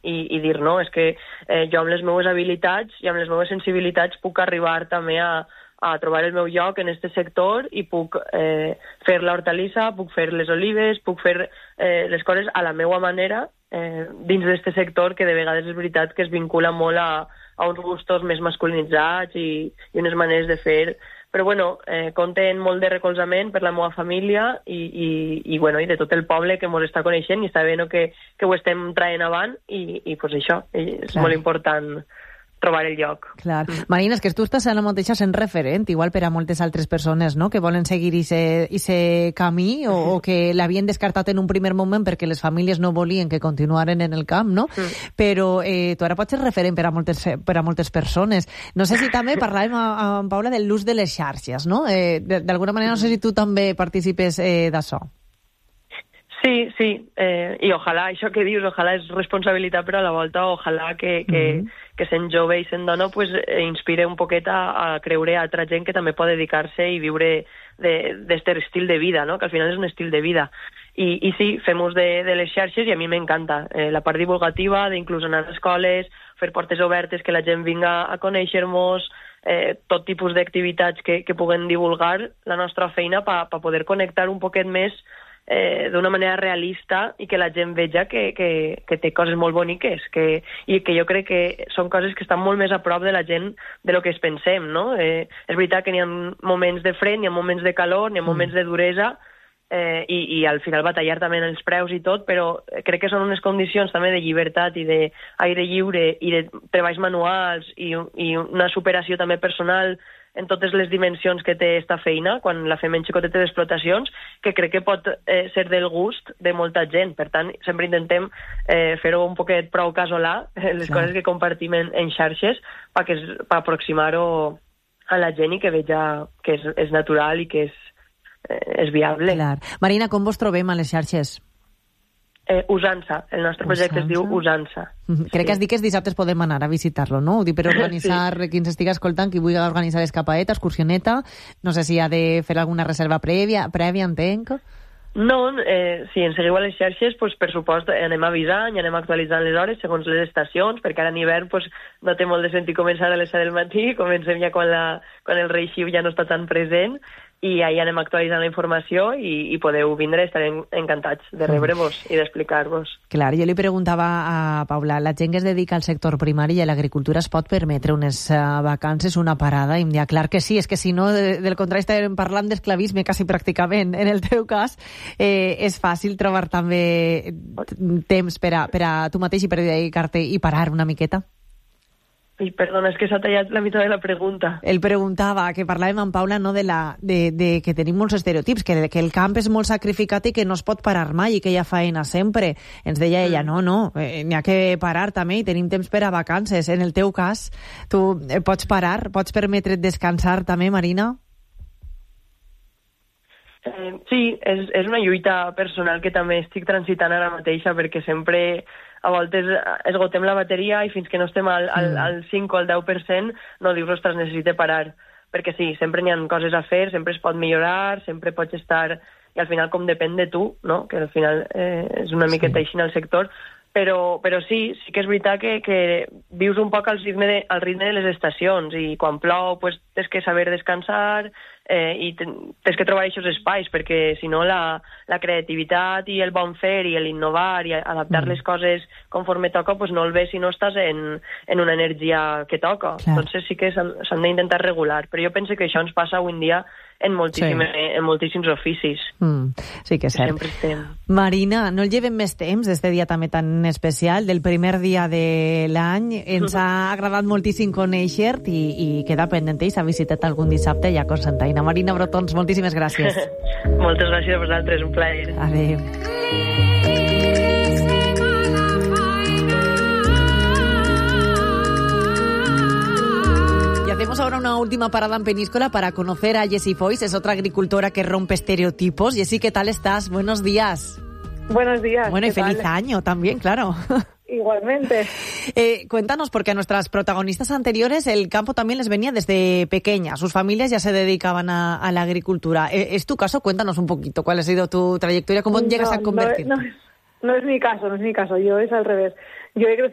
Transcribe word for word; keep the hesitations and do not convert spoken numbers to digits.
i, i dir, no, és que eh, jo amb les meves habilitats i amb les meves sensibilitats puc arribar també a, a trobar el meu lloc en aquest sector i puc eh, fer l'hortalissa, puc fer les olives, puc fer eh, les coses a la meva manera eh, dins d'aquest sector que de vegades és veritat que es vincula molt a, a uns gustos més masculinitzats i, i unes maneres de fer. Però bueno, eh, compten molt de recolzament per la meva família i, i, i, bueno, i de tot el poble que ens està coneixent i està bé, no, que, que ho estem traient avant i, i pues això, és Clar. molt important trobar el lloc. Clar. Mm. Marina, és que tu estàs ara mateix sent referent, igual per a moltes altres persones, no?, que volen seguir aquest camí o, o que l'havien descartat en un primer moment perquè les famílies no volien que continuaren en el camp, no? Mm. Però eh, tu ara pots ser referent per a moltes, per a moltes persones. No sé si també parlàvem amb Paula de l'ús de les xarxes, no? Eh, D'alguna manera, no sé si tu també participes eh, d'això. Sí, sí, eh, i ojalà, això que dius, ojalà és responsabilitat, però a la volta ojalà que, que, mm -hmm. que sent jove i sent dona pues, eh, inspire un poquet a, a creure a altra gent que també pot dedicar-se i viure d'aquest estil de vida, no? Que al final és un estil de vida. I, i sí, fem ús de, de les xarxes i a mi m'encanta. Eh, la part divulgativa, d'inclús anar a escoles, fer portes obertes, que la gent vinga a conèixer-nos, eh, tot tipus d'activitats que, que puguen divulgar la nostra feina per pa poder connectar un poquet més Eh, d'una manera realista i que la gent veja que, que, que té coses molt boniques que, i que jo crec que són coses que estan molt més a prop de la gent de lo que es pensem, no? Eh, és veritat que n'hi ha moments de fred, n'hi ha moments de calor, n'hi ha moments de duresa eh, i, i al final batallar també en els preus i tot, però crec que són unes condicions també de llibertat i d'aire lliure i de treballs manuals i, i una superació també personal en totes les dimensions que té esta feina, quan la fem en xicoteta d'explotacions, que crec que pot eh, ser del gust de molta gent. Per tant, sempre intentem eh, fer-ho un poquet prou casolà, eh, les Clar. coses que compartim en, en xarxes, per aproximar-ho a la gent i que veja que és, és natural i que és, eh, és viable. Clar. Marina, com vos trobem a les xarxes? Eh, Usança. El nostre projecte Usança. es diu Usança. Mm-hmm. Crec sí. que has dit que els dissabtes podem anar a visitar-lo, no? Ho dic per organitzar, sí. qui ens estigui escoltant, qui vulgui organitzar escapadeta, excursioneta, no sé si ha de fer alguna reserva prèvia, prèvia entenc? No, eh, si ens seguiu a les xarxes, pues, per supost, anem avisant i anem actualitzant les hores segons les estacions, perquè ara en hivern pues, no té molt de sentit començar a les set del matí, comencem ja quan, la, quan el rei Xiu ja no està tan present, i ahir anem actualitzant la informació i, i podeu vindre, estarem encantats de rebre-vos i d'explicar-vos. Clar, jo li preguntava a Paula, la gent que es dedica al sector primari i a l'agricultura es pot permetre unes uh, vacances, una parada? I em deia, clar que sí, és que si no, de, del contrari estarem parlant d'esclavisme quasi pràcticament. En el teu cas, eh, és fàcil trobar també temps per a, per a tu mateix i per dedicar-te i parar una miqueta? I perdona, és que s'ha tallat la meitat de la pregunta. Ell preguntava, que parlàvem amb Paula, no, de, la, de, de que tenim molts estereotips, que, que el camp és molt sacrificat i que no es pot parar mai i que hi ha feina sempre. Ens deia ella, no, no, eh, n'hi ha que parar també i tenim temps per a vacances. En el teu cas, tu eh, pots parar, pots permetre't descansar també, Marina? Eh, sí, és, és una lluita personal que també estic transitant ara mateixa perquè sempre a voltes esgotem la bateria i fins que no estem al, al, al cinc o al deu per cent no dius, ostres, necessite parar. Perquè sí, sempre n'hi ha coses a fer, sempre es pot millorar, sempre pots estar... I al final com depèn de tu, no? Que al final eh, és una miqueta sí. així en el sector. Però, però sí, sí que és veritat que, que vius un poc al ritme, de, al ritme de les estacions i quan plou pues, tens que saber descansar eh, i tens que trobar aquests espais perquè si no la, la creativitat i el bon fer i l'innovar i adaptar mm. les coses conforme toca pues no el ves si no estàs en, en una energia que toca. Clar. Entonces sí que s'han d'intentar regular, però jo penso que això ens passa avui en dia en, sí. en moltíssims oficis. Mm, sí que és cert. Sempre estem. Marina, no el llevem més temps, este dia també tan especial, del primer dia de l'any. Ens ha agradat moltíssim conèixer-te i, i quedar pendent i s'ha visitat algun dissabte ja a Cocentaina. Marina Brotons, moltíssimes gràcies. Moltes gràcies a vosaltres, un plaer. Adéu. Hacemos ahora una última parada en Peníscola para conocer a Jessie Foix, es otra agricultora que rompe estereotipos. Jessie, ¿qué tal estás? Buenos días. Buenos días. Bueno, y feliz tal? año también, claro. Igualmente. Eh, cuéntanos, porque a nuestras protagonistas anteriores el campo también les venía desde pequeñas. Sus familias ya se dedicaban a, a la agricultura. Eh, ¿Es tu caso? Cuéntanos un poquito cuál ha sido tu trayectoria, cómo no, llegas a convertirte. No, no, no es mi caso, no es mi caso. Yo es al revés. Yo he crecido